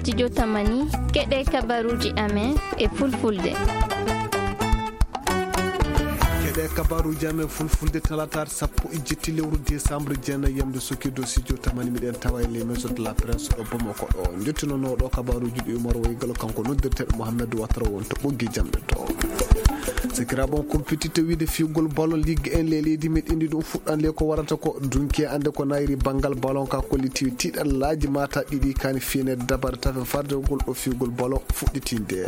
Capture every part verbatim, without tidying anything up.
Studio Tamani, keɗe kabaruji amen e fulfulde. Keɗe kabaruji amen fulfulde talataare sappo e jetti lewru décembre jeenayi yamde Sokido Studio Tamani, miɗen tawa e les maisons de la presse ɗo Bamako ɗo. Jottinono ɗo kabaruji ɗi Umar Waygalo, kanko noddirteɗo Mohamed Watara won to ɓoggi jamɗe to. Sakiraaɓe, on compétiteur wiide fiyugol ballon Ligue un ley leydi meɗen ndi, ɗum fuɗɗan le ko warata ko dunki ande ko nayri banngal ballon ka kollitiwi tiiɗallaaji mata ɗiɗi kani fiyene dabare tafe fardegol ɗo fiyugol ballon fuɗɗitinde.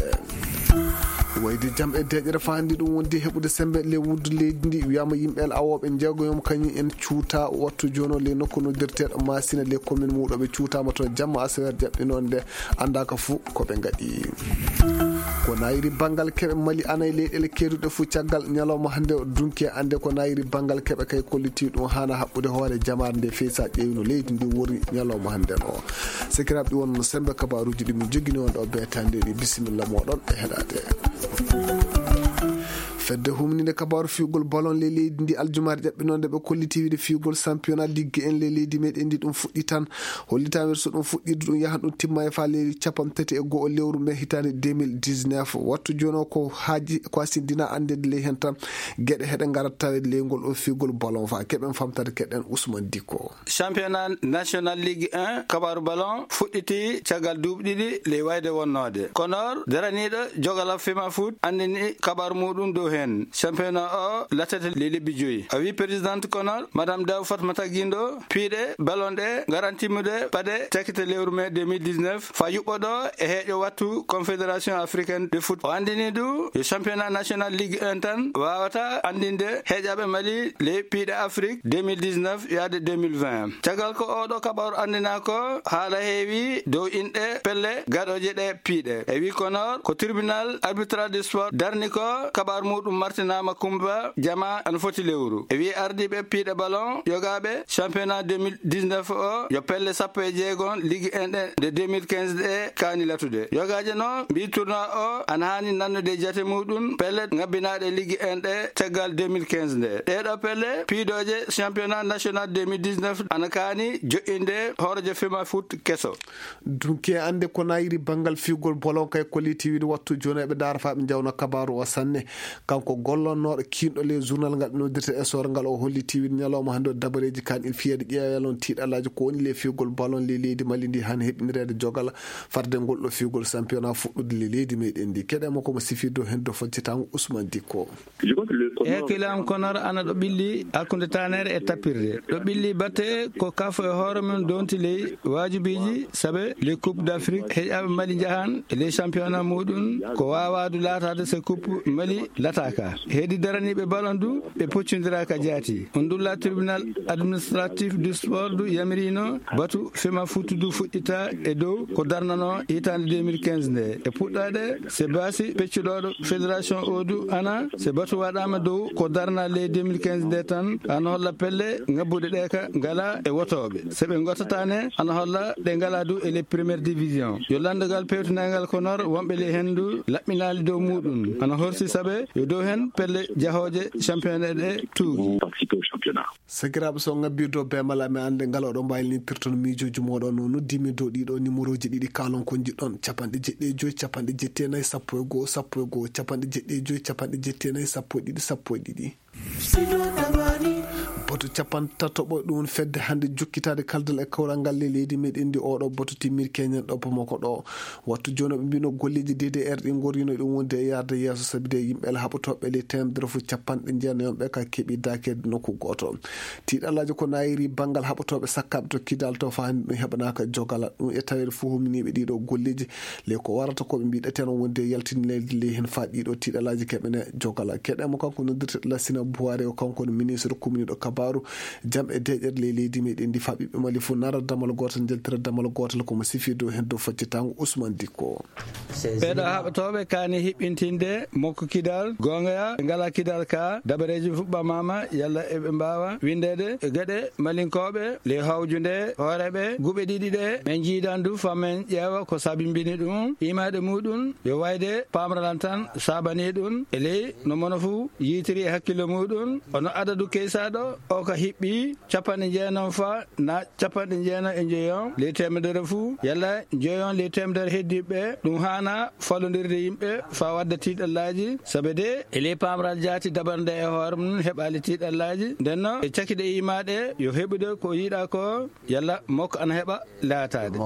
Wayde jam e deƴere fa hannde ɗum wondi heɓude sembe le wuddu leydi ndi, wiyama yimɓe el awooɓe njeegoyom kañum en cuuta wattu jono le nokku noddirteɗo Masina le commune muɗoɓe cuutama to jamma asawer jaɓɓinonde andaka fu ko ɓe ngaɗi. Ko nayri banngal keɓe Mali anay leyɗele keeduɗe fu caggal ñalawma hannde o dunki ande ko nayri banngal keɓe kay kolliti ɗum hana haɓɓude hoore jamaare nde fey sa ƴeewino leydi ndi wori ñalawma hannde o. Sakiraaɓe, ɗi wonno sembe kabaruji ɗi min jogini on ɗo betande ɗi. Bisimilla moɗon e heɗade. Fedde humninde kabaru fiyugol ballon le leydi ndi aljumaare ƴaɓɓinonde ɓe kolliti wiide fiyugol championnat Ligue un le leydi meɗen ndi ɗum fuɗɗi tan. Hollitaama so ɗum fuɗɗiidu ɗum yahan ɗum timma e faa lewru cappanɗe tati e go'o lewru mai hitaande deux mille dix-neuf. Wattu jooni o ko haaji ko asindina anndede ley heen tan geɗe heɗe ngarat taweede ley ngol o fiigol ballon faa keɓen famtade keɗen Ousmane Dicko. Championnat national Ligue un kabaru ballon fuɗɗiti caggal duuɓi ɗiɗi ley wayde wonnoode. Konor daraniiɗo jogala Fema Foot anndini kabaru muɗum dow heen. Championnat o lattete ley lebbi joyi. A wi présidente Konor, Madame Daw Fatmata Guindo, piiɗe ballon ɗe ngaran timmude paɗe cakkite lewru mai deux mille dix-neuf, fa yuɓɓoɗo e heeƴo wattu Confédération africaine de foot. O anndini du yo championnat national Ligue un tan wawata anndinde heeƴaɓe Mali ley piiɗe Afrique deux mille dix-neuf yaade deux mille vingt. Caggal ko oɗo kabaru anndina ko, haala heewi dow inɗe pelle gaɗoje ɗe piiɗe. E wi Konor ko tribunal arbitral du sport darni ko kabaru muɗum martinama kumba jama ana foti lewru. E wi ardiɓe piiɗe ballon yogaɓe championnat deux mille dix-neuf o yo pelle sappo e jeegon Ligue un ɗe nde deux mille quinze ɗe kaani latude. Yogaje no mbi tournoi o ana hani nannude jate muɗum pelle ngabbinaɗe Ligue un ɗe caggal deux mille quinze nde. Ɗeɗo pelle piidoje championnat national deux mille dix-neuf ana kaani joɗɗinde hoorejo Fema Foot keso. Dunki e annde ko nayiri banngal fiigol ballon kay kolliti wiide wattu jooni eɓe ndaara faa ɓe njawna kabaru o sanne. Kanko gollonnooɗo kiinɗo ley journal ngal ɓe noddirta Essor ngal o holliti wiide ñalawma hannde o dabareeji kan il fiyeede ƴeewel on tiiɗalaaji ko woni ley fiigol ballon ley leydi Mali ndi han heɓinireede jogala farde ngol ɗo fiigol championnat fuɗɗude ley leydi meɗen ndi. Keɗe makko mo sifirde o heen do foccetango Ousmane Dicko. Ekilam Konor ana ɗo ɓilli hakkunde tanere e tappirde. Ɗo ɓilli batte ko kafo e hoore mum donti ley waajibiiji sabe les coupes d'Afrique heƴaɓe Mali njahan e les championnat muɗum ko wawadu latade se coupe Mali lataka. Hedi daraniɓe ballon du ɓe poccondira ka jaati. On dulla tribunal administratif du sport du yamirino batu Fema Foot du fuɗɗita e dow ko darnano hitande deux mille quinze nde. E puɗɗade se basi peccuɗoɗo fédération o du ana se batu waɗama dow ko darna ley deux mille quinze nde tan ana holla pelle ngabbuɗe ɗe ka ngala e wotoɓe. Se ɓe gottatane ana holla ɗe ngala du e les première division. Yo landogal pewtinagal Konor wonɓe ley hendu laɓɓinali dow muɗum ana horsi sabe yo dow hen pelle jahoje championnat ɗe tuugi. Sakiraaɓe, so ngabbirdo be mala mi annde ngal oɗo mbaylinitirton miijooji mooɗon no noddimi dow ɗiɗo numéroji ɗiɗi kaalon ko njiɗɗon capanɗe jeɗɗi e joyi capanɗe jetti e nayi sappo e go'o sappo e go'o capanɗe jeɗɗi e joyi capanɗe jetti e nayi sappo e ɗiɗi sappo e ɗiɗi. Boto capanɗe tatoɓo ɗum fedde hannde jokkitaade kaldal e kawral ngal le leydi meɗen ndi oɗo boto timmir keñen ɗo Bamako ɗo. Wattu jooni ɓe mbino golleeji D D R ɗi ngorrino ɗum wonde e yaarde yeeso sabi de yimɓe la haɓotooɓe ley teemedere fof capanɗe jeenayi on ɓe ka keɓi daakeede nokku gooto. Tiiɗalaaji ko nayiri banngal haɓotooɓe sakkaaɓe to Kidal to faa hannde ɗum heɓanaaka jogala ɗum e taweede fof huminiiɓe ɗiɗo golleeji le ko warata ko ɓe mbiɗa teen wonde yaltini leydi ley heen faa ɗiɗo tiiɗalaaji keɓene jogala. Keɗe mo kanko noddirteɗo Lassina Buware o kanko no ministre kumniiɗo kabaaru jam e deeƴere ley leydi meɗen ndi faa ɓiɓɓe Mali fof nara damal gootal njaltira damal gootal ko mo sifi dow heen dow faccitango Ousmane Dicko. Ɓeeɗo haɓatooɓe kaani hiɓɓintinde mokko kidal goonga ya ɓe ngalaa kidal ka dabareeji fuɓɓamaama yalla eɓe mbaawa winndeede e geɗe malinkooɓe ley hawjunde hooreeɓe guɓe ɗiɗi ɗe men njiidan du faa men ƴeewa ko sabimbini ɗum imaade muɗum yo wayde paamralan tan saabanii ɗum e ley no mono fuu yiytiri e hakkille muɗum ono adadu keysaaɗo o Ko hiɓɓi capanɗe jeenom fa na capanɗe jeenom e njoyon ley teemedere fuu, yalla njoyon ley teemedere heddiiɓe, ɗum haana fallondirde yimɓe faa wadda tiiɗallaaji. Sabe de e ley paamral jaati dabarnde e hoore mum heɓaali tiiɗallaaji. Nden noon e cakiɗe iimaaɗe yo heɓude ko yiɗaa ko, yalla mokko ana heɓa laataade.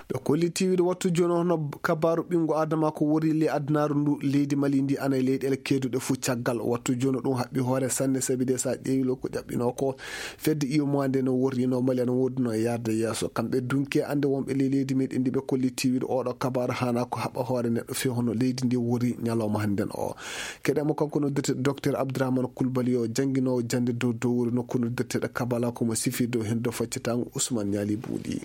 Ɓe kolli tiiwiiɗo wattu jooni o hono kabaaru ɓinngu Aadama ko wori ley adunaaru ndu, leydi Mali ndi ana e leyɗeele keeduɗe fuu caggal. Wattu jooni o ɗum haɓɓi hoore sanne, sabi de so a ƴeewi lo ko ƴaɓɓinoo ko, fedde iyomowa nde no worri no Mali ana woodunoo e yaarde yeeso. Kamɓe dunki e annde wonɓe ley leydi meɗen ndi ɓe kolli tiiwiiɗo oɗo kabaaru haana ko haɓɓa hoore neɗɗo fii hono leydi ndi wori ñalawma hannden o. Keɗen mo kanko noddirteeɗo Docteur Abdourahmane Coulibaly o jannginoowo jannde dow dowri nokku noddirteeɗo Kabala ko mo sifi dow heen dow faccatango Ousmane Niali Buuɗi.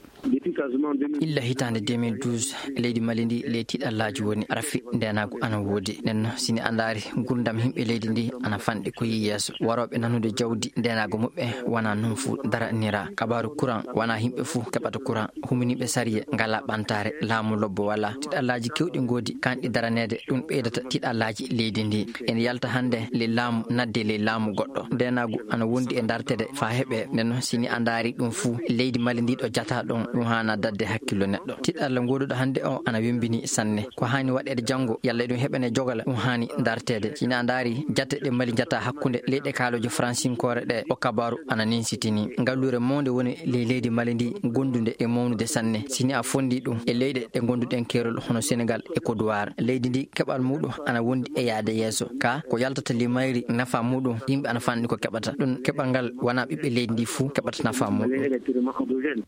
Illa hitaande deux mille douze, leydi Mali ndi ley tiiɗallaaji woni, rafi ndeenaagu ana woodi. Nden noon, si ni a ndaari, nguurndam yimɓe leydi ndi ana fanɗi ko yi yeeso. Warooɓe nanude jawdi, ndeenaagu muɓɓe wona noon fuu daraniraa. Kabaaru kuran wona yimɓe fuu keɓata kuran. Huminiiɓe sariya ngalaa ɓantaare, laamu lobbo walaa. Tiiɗallaaji keewɗi ngoodi, kanɗi daraneede, ɗum ɓeydata tiiɗallaaji leydi ndi. En yalta hannde ley laamu, nadde ley laamu goɗɗo. Ndeenaagu ana wondi e dartede faa heɓe. Nden noon, si ni a ndaari ɗum fuu, leydi Mali ndi ɗo jataa ɗon, ɗum haana dadde hakkillo neɗɗo. Tiiɗalla ngooduɗo hannde o ana wembini sanne. Ko haani waɗeede janngo, yalla ɗum heɓane jogala, ɗum haani darteede. Si ni a ndaari jate ɗe Mali jataa hakkunde leyɗe kaalooje fransinkoore ɗe, o kabaaru ana ninsitini. Ngalluure mawnde woni ley leydi Mali ndi, gondunde e mawnude sanne. Si ni a fondi ɗum e leyɗe ɗe gonduɗen keerol hono Senegal e Côte d'Ivoire, leydi ndi keɓal muɗum ana wondi e yaade yeeso. Ka ko yaltata ley mayri, nafa muɗum, yimɓe ana fanɗi ko keɓata. Ɗum keɓal ngal wona ɓiɓɓe leydi ndi fuu keɓata nafa muɗum.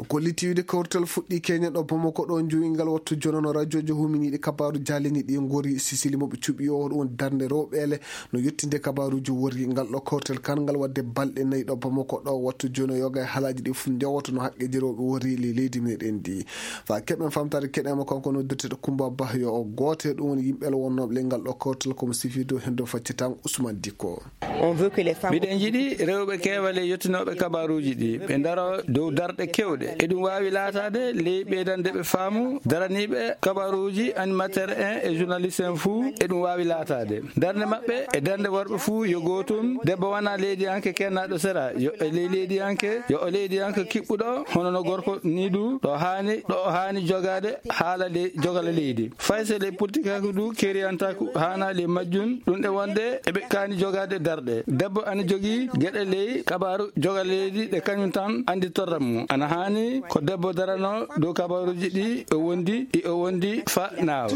Ko litiwde kawrital fuɗɗi Kenya ɗo Bamako ɗo, njowi ngal wattu jonono. Radioji huminiiɗi kabaaru jaalini ɗi ngori Sisili mo ɓe cuɓi o, ɗum darnde rewɓeele no yettinde kabaaruji worri ngal ɗo kawrital kan ngal wadde balɗe nayi ɗo Bamako ɗo. Wattu jono yoga e halaaji ɗi fof ndewoto no haqqeji rewɓe worri le leydi meɗen ndi. Fa keɓen famtare keɗen mo kanko noddirteɗo Kumba Bah yo o gooto e ɗum woni yimɓe wonnooɓe le ngal ɗo kawrital komo sifido hendo faccitan Ousmane Dikko. On veut que les femmes Miɗen njiɗi rewɓe keewal e yettinooɓe kabaaruuji ɗi, ɓe ndaro dow darɗe keewɗe. Eɗum waawi laataade ley ɓeydande ɓe faamu, daraniiɓe kabaaruuji, animateur en e journaliste en fuu, eɗum waawi laataade. Darnde maɓɓe e darnde worɓe fuu yo gootum. Debbo wona leydiyanke kennaaɗo sera, yo e ley leydiyanke, yo o leydiyanke kiɓɓuɗo, hono no gorko ni du, ɗo haani, ɗo o haani jogaade haala ley, jogala leydi. Fay so ley politikaaku du keriyantaaku haana ley majjum, ɗum ɗe wonde eɓe kaani jogaade darɗe. Debbo ana jogii geɗe ley kabaaru jogala leydi ɗe kañum tan anndi torra mum. Ana haani ko debbo darano dow kabaaruuji ɗi o wondi, ɗi o wondi fa naawa.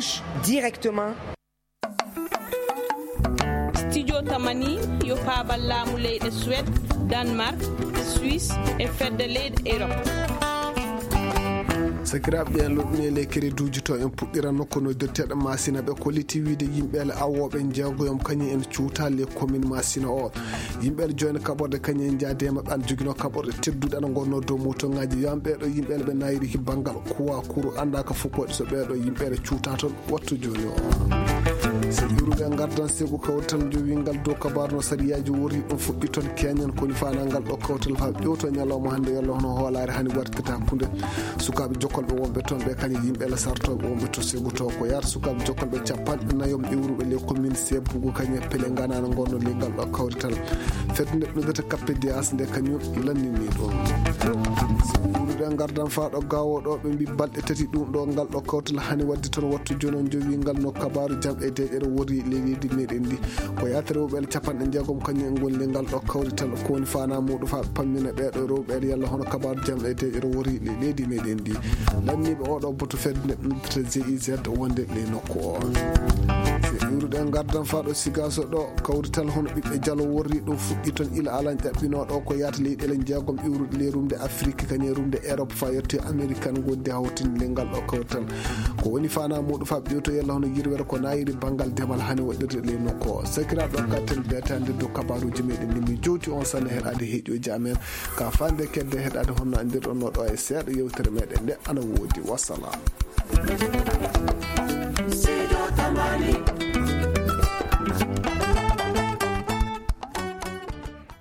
Directement. Studio Tamani yo paabal laamu leyɗe Suède, Danemark, Suisse e fedde leyɗe Europe. Sakiraaɓe ɓe en loɗɗuni e ley kereduuji to en puɗɗiran nokku no dotteeɗo Masina ɓe kolliti wiide yimɓe ele awooɓe njeegoyom kañum en cuuta le commune Masina o. Yimɓe ele joyna kaɓorde kañum en njaade e maɓɓe ana joginoo kaɓorde tedduɗe ana ngonnoo dow motoŋaaji. Yo am ɓeeɗo yimɓe ele ɓe nayri ki banngal kuwa kuru annda ka fof ko waɗi so ɓeeɗo yimɓe ele cuuta toon. Wattu jooni o. So iwrude ngardan segu kawtal njowingal dow kabaru no sariyaaji wori ɗum fuɗɗi toon keñen koni faanangal ɗo kawtal faa ƴewto ñalawma hannde yalla hono hoolaare hani wartirta hakkunde sukaaɓe jokkolɓe wonɓe toon ɓe kañum yimɓe la sartooɓe wonɓe to segu to ko yaata sukaaɓe jokkolɓe capanɗe nayom iwruɓe le commune sebugu kañum pele nganano ngonno le ngal ɗo kawrital fedde nde ɗudata kappe diyas nde kañum lannini ɗum. So iwrude ngardan faa ɗo gawo ɗo ɓe mbi balɗe tati ɗum ɗo ngal ɗo kawtal hani wadde toon wattu jono jowi ngal no kabaru jam e deƴere wori le leydi meɗen ndi. Ko yaatere rewɓe capanɗe jeegom kañum en ngoni le ngal ɗo kawrital ko woni fana muɗum fa pammina ɓeeɗo rewɓe yalla hono kabaru jam e deƴere wori le leydi meɗen ndi. Lanniɓe oɗo boto fedde nde ɗumtata G I Z wonde le nokku o. So iwruɗe ngardan fa ɗo sigaso ɗo kawrital hono ɓiɓɓe jalo worri ɗum fuɗɗi toon ila alan ƴaɓɓinoɗo ko yaata leyɗele jeegom iwruɗe le rumde Afrique kañum rumde Europe fa yetti American gondi hawtinde le ngal ɗo kawrital. Ko woni fana muɗum fa ɓiyoto yalla hono yirwere ko nayiri banngal demal hani waɗirde le nokku o. Sakiraɓe o katten betande dow kabaruji meɗen ni mi jowti on sanne heɗade heeƴoji amen ka fande kedde heɗade honno andirɗon no ɗo e seeɗa yewtere meɗen nde ana woodi wassalam.